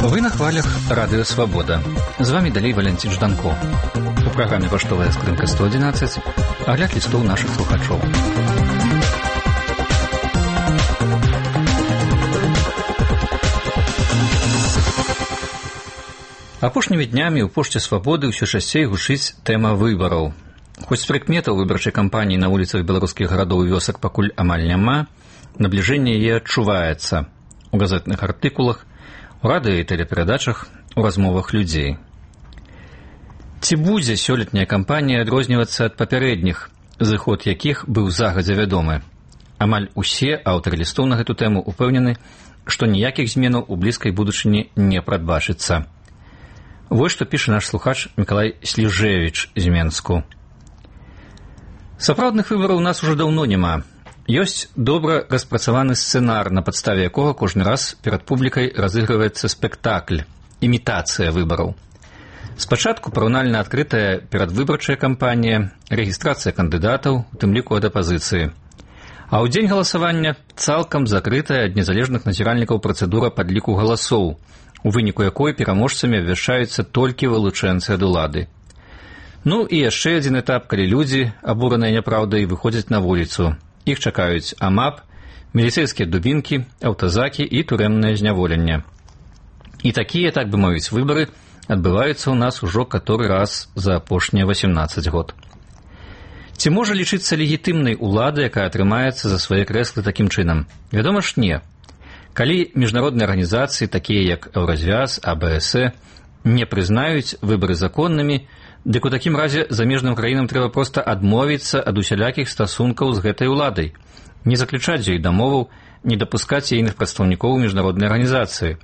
Вы на хвалях Радыё Свабода. З вами далей Валянцін Жданко. У праграме «Паштовая скрынка 111» агляд лістоў нашых слухачоў. Апошнімі днямі ў пошце Свабоды ўсё часцей гучыць тэма выбараў. Хоць прыкметаў выбарчай кампаніі на вуліцах беларускіх гарадоў і вёсак пакуль амаль няма, набліжэнне яе адчуваецца у газетных артыкулах, у радыё і тэлеперадачах, у размовах людзей. Ці будзе сёлетняя кампанія адрознівацца ад папярэдніх, зыход якіх быў загадзя вядомы? Амаль усе аўтары лістоў на гэту тэму ўпэўнены, што ніякіх зменаў у блізкай будучыні не прадбачыцца. Вось што піша наш слухач Мікалай Сліжэвіч з Менску. Сапраўдных выбараў у нас ужо даўно няма. Ёсць добра распрацаваны сцэнар, на падставе якога кожны раз перад публікай разыгрываецца спектакль, імітацыя выбараў. Спачатку параўнальна адкрытая перадвыбарчая кампанія, рэгістрацыя кандыдатаў, у тым ліку ад апазіцыі. А ў дзень галасавання цалкам закрытая ад незалежных назіральнікаў працэдура падліку галасоў, у выніку якой пераможцамі абвяшчаюцца толькі вылучэнцы ад улады. Ну і яшчэ адзін этап, калі людзі, абураныя няпраўдай, выходзяць на вуліцу. Іх чакаюць АМАП, міліцэйскія дубінкі, аўтазакі і турэмнае зняволенне. І такія, так бы мовіць, выбары адбываюцца ў нас ужо каторы раз за апошнія 18 год. Ці можа лічыцца легітымнай улада, якая атрымаецца за свае крэслы такім чынам? Вядома ж, не. Калі міжнародныя арганізацыі, такія як Еўразвяз, АБС, не прызнаюць выбары законнымі, дык у такім разе замежным краінам трэба проста адмовіцца ад усялякіх стасункаў з гэтай уладай, не заключаць з ёй дамоваў, не дапускаць ейных прадстаўнікоў міжнароднай арганізацыі.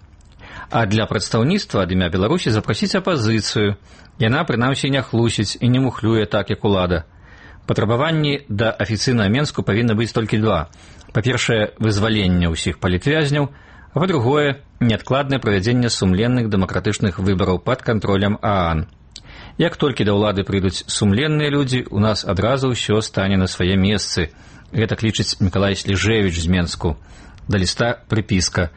А для прадстаўніцтва ад імя Беларусі запрасіць апазіцыю. Яна, прынамсі, не хлусіць і не мухлюе так, як улада. Патрабаванні да афіцыйнага Менску павінны быць толькі два. Па-першае, вызваленне ўсіх палітвязняў, а па-другое, неадкладнае правядзенне сумленных дэмакратычных выбараў пад кантролем ААН. Як толькі да ўлады прыйдуць сумленныя людзі, у нас адразу ўсё стане на свае месцы. Гэта лічыць Мікалай Сліжэвіч з Менску. Да ліста прыпіска.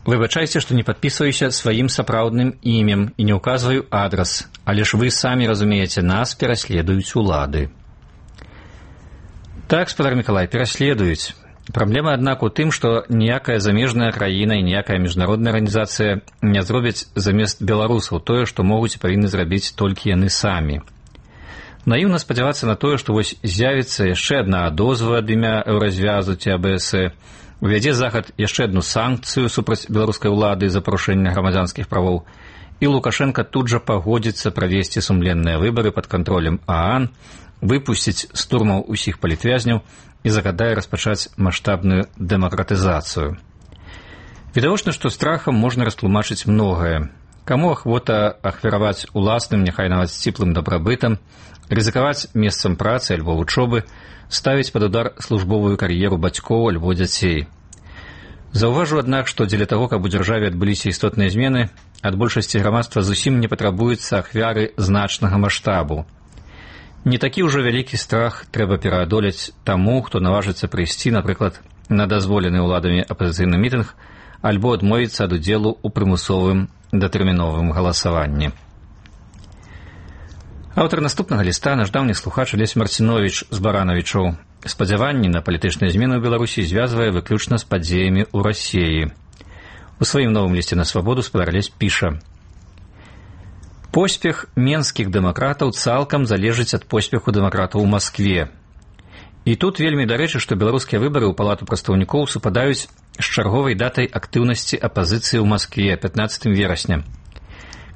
Выбачайце, што не падпісваюся сваім сапраўдным імем і не ўказваю адрас, але ж вы самі разумееце, нас пераследуюць улады. Так, спадар Мікалай, пераследуюць. Праблема, аднак, у тым, што ніякая замежная краіна і ніякая міжнародная арганізацыя не зробяць замест беларусаў тое, што могуць і павінны зрабіць толькі яны самі. Наіўна спадзявацца на тое, што вось з'явіцца яшчэ адна адозва ад імя Еўразвязу ці АБС, увядзе захад яшчэ адну санкцыю супраць беларускай улады за парушэнне грамадзянскіх правоў, і Лукашенка тут жа пагодзіцца правесці сумленныя выбары пад кантролем ААН, выпусціць з турмаў усіх палітвязняў і загадае распачаць маштабную дэмакратызацыю. Відавочна, што страхам можна растлумачыць многае. Каму ахвота ахвяраваць уласным, няхай нават сціплым дабрабытам, рызыкаваць месцам працы альбо вучобы, ставіць пад удар службовую кар'еру бацькоў альбо дзяцей. Заўважу, аднак, што дзеля таго, каб у дзяржаве адбыліся істотныя змены, ад большасці грамадства зусім не патрабуюцца ахвяры значнага маштабу. Не такі ўжо вялікі страх трэба пераадолець таму, хто наважыцца прыйсці, напрыклад, на дазволены ўладамі апазіцыйны мітынг альбо адмовіцца ад удзелу ў прымусовым датэрміновым галасаванні. Аўтар наступнага ліста, наш даўні слухач Алесь Марціновіч з Баранавічоў, спадзяванні на палітычныя змены ў Беларусі звязвае выключна з падзеямі ў Расіі. У сваім новым лісце на Свабоду спадар Алесь піша: поспех менскіх дэмакратаў цалкам залежыць ад поспеху дэмакратаў у Маскве. І тут вельмі дарэчы, што беларускія выбары ў палату прадстаўнікоў супадаюць з чарговай датай актыўнасці апазіцыі ў Маскве 15 верасня.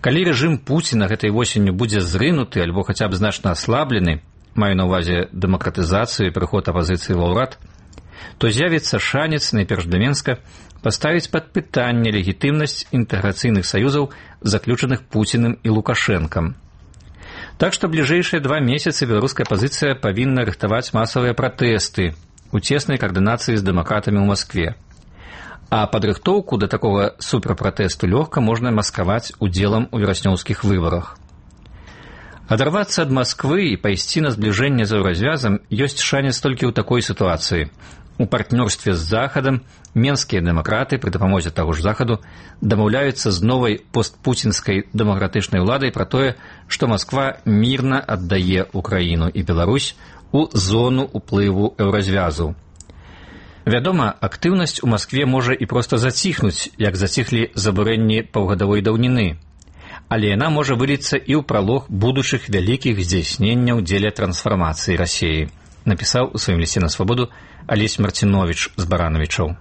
Калі рэжым Пуціна гэтай восенню будзе зрынуты альбо хаця б значна аслаблены, маю на ўвазе дэмакратызацыю і прыход апазіцыі ва ўрад, то з'явіцца шанец, найперш для Менска, паставіць пад пытанне легітымнасць інтэграцыйных саюзаў, заключаных Пуціным і Лукашэнкам. Так што бліжэйшыя 2 месяцы беларуская апазіцыя павінна рыхтаваць масавыя пратэсты у цеснай каардынацыі з дэмакратамі ў Маскве. А падрыхтоўку да такога суперпратэсту лёгка можна маскаваць удзелам у вераснёўскіх выбарах. Адарвацца ад Масквы і пайсці на збліжэнне з еўразвязам ёсць шанец толькі ў такой сітуацыі. У партнёрстве з Захадам менскія дэмакраты пры дапамозе таго ж Захаду дамаўляюцца з новай постпуцінскай дэмакратычнай уладай пра тое, што Масква мірна аддае Украіну і Беларусь у зону ўплыву еўразвязу. Вядома, актыўнасць у Маскве можа і проста заціхнуць, як заціхлі забурэнні паўгадавой даўніны, але яна можа выліцца і ў пралог будучых вялікіх здзяйсненняў дзеля трансфармацыі Расіі, напісаў у сваім лісце на свабоду Алесь Марціновіч з Баранавічаў.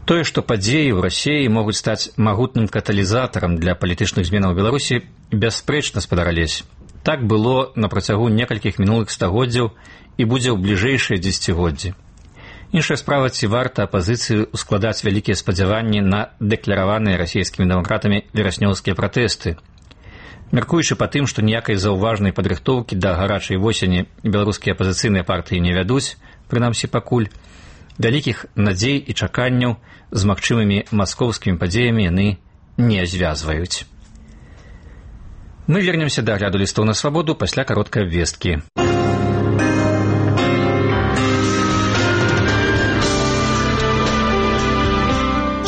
Тое, што падзеі ў Расіі могуць стаць магутным каталізатарам для палітычных зменаў у Беларусі, бясспрэчна, спадар Алесь. Так было на працягу некалькіх мінулых стагоддзяў і будзе ў бліжэйшыя дзесяцігоддзі. Іншая справа, ці варта апазіцыі ускладаць вялікія спадзяванні на дэклараваныя расійскімі дэмакратамі вераснёўскія пратэсты. Мяркуючы па тым, што ніякай заўважнай падрыхтоўкі да гарачай восені беларускія апазіцыйныя партыі не вядуць, прынамсі пакуль, вялікіх надзей і чаканняў з магчымымі маскоўскімі падзеямі яны не звязваюць. Мы вернемся да агляду лістоў на свабоду пасля кароткай абвесткі.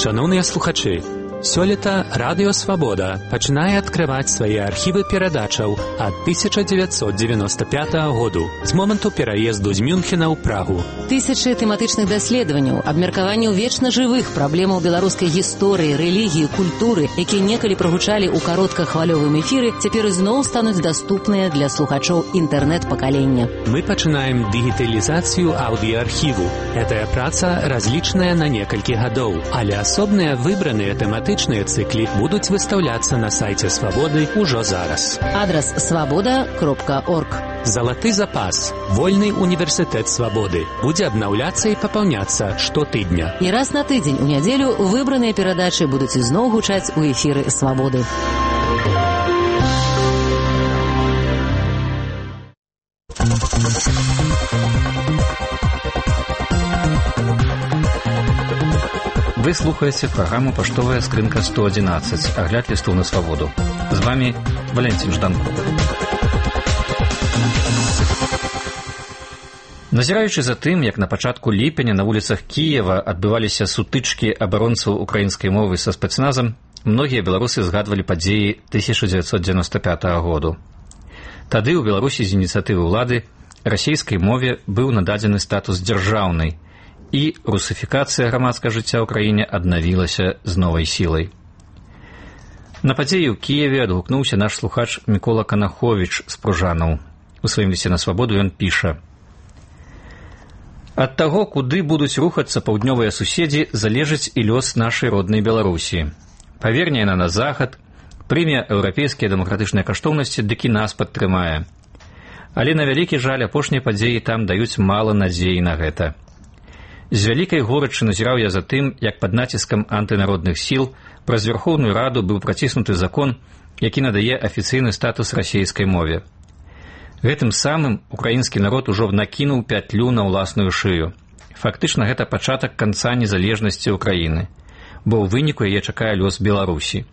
Шановныя слухачы, сёлета Радыё Свабода пачынае адкрываць свае архівы перадачаў ад 1995 году, з моманту пераезду з Мюнхена ў Прагу. Тысячы тэматычных даследаванняў, абмеркаванняў вечна жывых праблемаў беларускай гісторыі, рэлігіі, культуры, якія некалі прагучалі ў кароткахвалёвым эфіры, цяпер ізноў стануць даступныя для слухачоў інтэрнэт-пакалення. Мы пачынаем дыгіталізацыю аўдыаархіву. Гэтая праца разлічаная на некалькі гадоў, але асобныя выбраныя тэматычныя цыклі будуць выстаўляцца на сайце Свабоды ўжо зараз. Адрас свабода.орг. Залаты запас. Вольны універсітэт Свабоды будзе абнаўляцца і папаўняцца штотыдня. І раз на тыдзень у нядзелю выбраныя перадачы будуць ізноў гучаць у эфіры Свабоды. Вы слухаеце праграму «Паштовая скрынка 111», агляд лістоў на свабоду. З вами Валентин Жданко. Назіраючы за тым, як на пачатку ліпеня на вуліцах Кіева адбываліся сутычкі абаронцаў украінскай мовы са спецназам, многія беларусы згадвалі падзеі 1995 году. Тады ў Беларусі з ініцыятывы ўлады расійскай мове быў нададзены статус дзяржаўнай, і русифікацыя грамадскага жыцця ў краіне аднавілася з новай сілай. На падзеі ў Кіеве адгукнуўся наш слухач Мікола Канаховіч з Пружанаў. У сваім лісце на свабоду ён піша: «Ад таго, куды будуць рухацца паўднёвыя суседзі, залежыць і лёс нашай роднай Беларусі. Паверне яна на захад, прыме еўрапейскія дэмакратычныя каштоўнасці, дык і нас падтрымае. Але на вялікі жаль апошнія падзеі там даюць мала надзеі на гэта. З вялікай горачы назіраў я за тым, як пад націскам антынародных сіл праз Верхоўную Раду быў праціснуты закон, які надае афіцыйны статус расійскай мове. Гэтым самым украінскі народ ужо накінуў пятлю на ўласную шыю. Фактычна гэта пачатак канца незалежнасці ўкраіны, бо ў выніку яе чакае лёс Беларусі.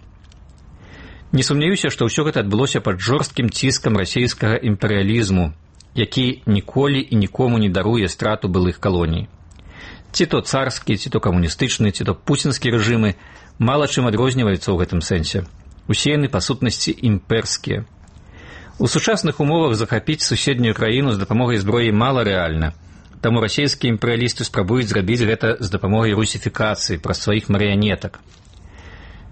Не сумняюся, што ўсё гэта адбылося пад жорсткім ціскам расійскага імперыялізму, які ніколі і нікому не даруе страту былых калоній. Ці то царскі, ці то камуністычны, ці то пуцінскі рэжымы мала чым адрозніваюцца ў гэтым сэнсе. Усе яны, па сутнасці, імперскія. У сучасных умовах захапіць суседнюю краіну з дапамогай зброі мала рэальна, таму расійскія імперыялісты спрабуюць зрабіць гэта з дапамогай русіфікацыі праз сваіх марыянетак.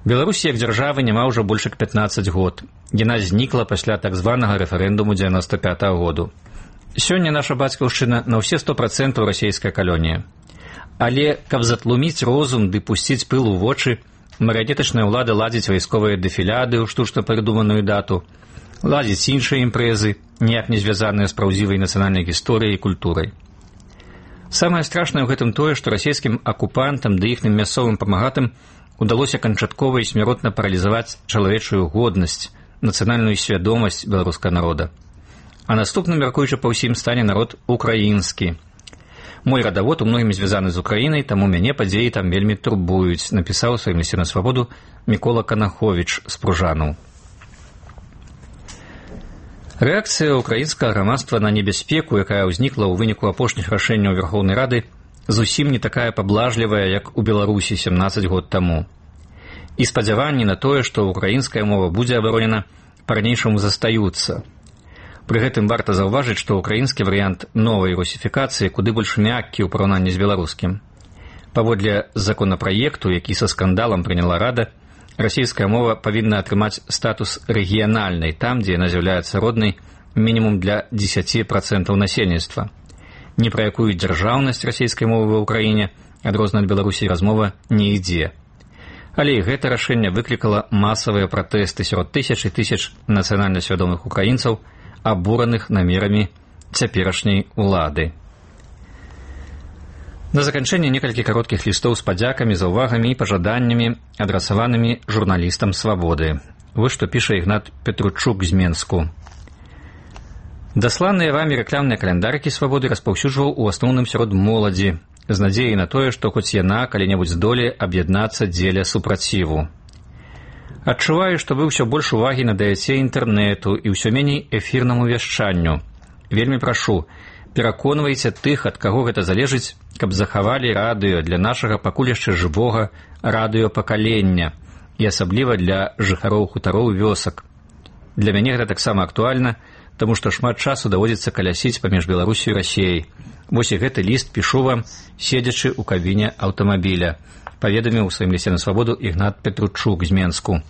Беларусі як дзяржавы няма ўжо больш як 15 год. Яна знікла пасля так званага рэферэндуму 95 году. Сёння наша бацькаўшчына на ўсе 100% расійская калонія. Але, каб затлуміць розум ды пусціць пыл у вочы, марыянетачная ўлада ладзіць вайсковыя дэфіляды ў штучна прыдуманую дату, ладзіць іншыя імпрэзы, ніяк не звязаныя з праўдзівай нацыянальнай гісторыяй і культурай. Самае страшнае ў гэтым тое, што расійскім акупантам ды іхным мясцовым памагатым удалося канчаткова і смяротна паралізаваць чалавечую годнасць, нацыянальную свядомасць беларускага народа. А наступным, мяркуючы па ўсім, стане народ украінскі. Мой радавод у многім звязаны з Украінай, таму мяне падзеі там вельмі турбуюць, напісаў у сваім лісце на свабоду Мікола Канаховіч з Пружанаў. Рэакцыя ўкраінскага грамадства на небяспеку, якая ўзнікла ў выніку апошніх рашэнняў Верхоўнай Рады, зусім не такая паблажлівая, як у Беларусі 17 год таму. І спадзяванні на тое, што ўкраінская мова будзе абаронена, па-ранейшаму застаюцца. Пры гэтым варта заўважыць, што ўкраінскі варыянт новай русіфікацыі куды больш мяккі ў параўнанні з беларускім. Паводле законапраекту, які са скандалам прыняла Рада, расійская мова павінна атрымаць статус рэгіянальнай там, дзе яна з'яўляецца роднай мінімум для 10% насельніцтва. Ні пра якую дзяржаўнасць расійскай мовы ва ўкраіне, адрознена ад Беларусі, размова не ідзе. Але і гэта рашэнне выклікала масавыя пратэсты сярод тысяч і тысяч нацыянальна свядомых украінцаў, абураных намерамі цяперашняй улады. На заканчэнне некалькі кароткіх лістоў з падзякамі, заўвагамі і пажаданнямі, адрасаванымі журналістам «Свабоды». Вось што піша Ігнат Петручук з Менску. Дасланыя вамі рэкламныя каляндарыкі «Свабоды» распаўсюджваў у асноўным сярод моладзі, з надзеяй на тое, што хоць яна калі-небудзь здолее аб'яднацца дзеля супраціву. Адчуваю, што вы ўсё больш увагі надаяце інтэрнэту і ўсё меней эфірнаму вяшчанню. Вельмі прашу, пераконвайце тых, ад каго гэта залежыць, каб захавалі радыё для нашага пакуль яшчэ жывога радыёпакалення і асабліва для жыхароў хутароў вёсак. Для мяне гэта таксама актуальна, таму што шмат часу даводзіцца калясіць паміж Беларусю і Расіяй. Вось і гэты ліст пішу вам, седзячы ў кабіне аўтамабіля, паведаміў у сваім лісце на «Свабоду» Ігнат Петручук з Менску.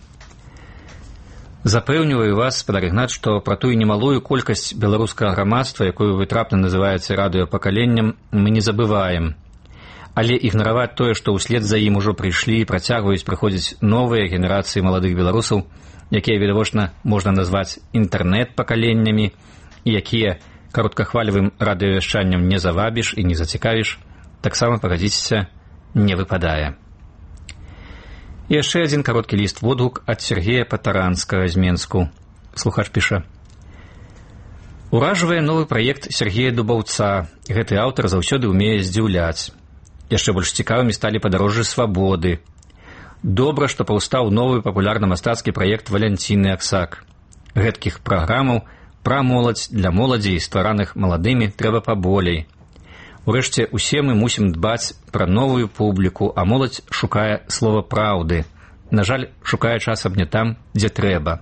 Запэўніваю вас, спадар Ігнат, што пра тую немалую колькасць беларускага грамадства, якую вы трапна называеце радыёпакаленнем, мы не забываем. Але ігнараваць тое, што ўслед за ім ужо прыйшлі і працягваюць прыходзіць новыя генерацыі маладых беларусаў, якія, відавочна, можна назваць інтэрнэт-пакаленнямі, і якія кароткахвалевым радыёвяшчаннем не завабіш і не зацікавіш, таксама, пагадзіцеся, не выпадае. І яшчэ адзін кароткі ліст-водгук ад Сергея Патаранскага з Менску. Слухач піша. Уражвае новы праект Сергея Дубаўца. Гэты аўтар заўсёды ўмее здзіўляць. Яшчэ больш цікавымі сталі падарожжы «Свабоды». Добра, што паўстаў новы папулярна-мастацкі праект Валянціны Аксак. Гэткіх праграмаў пра моладзь для моладзі, ствараных маладымі, трэба паболей. Урэшце, усе мы мусім дбаць пра новую публіку, а моладзь шукае слова праўды. На жаль, шукае часам не там, дзе трэба.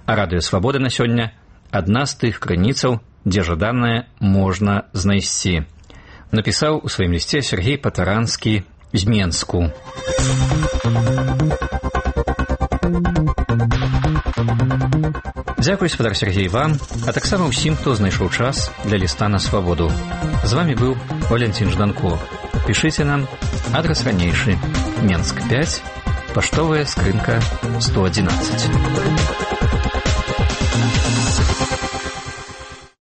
А радыё «Свабода» на сёння – адна з тых крыніцаў, дзе жаданае можна знайсці. Напісаў у сваім лісце Сергей Патаранскі з Менску. Дзякуй, спадар Сергей, вам, а таксама ўсім, хто знайшоў час для ліста на «Свабоду». З вами быў Валентин Жданко. Пішыце нам, адрас ранейшы, Менск 5, паштовая скрынка 111.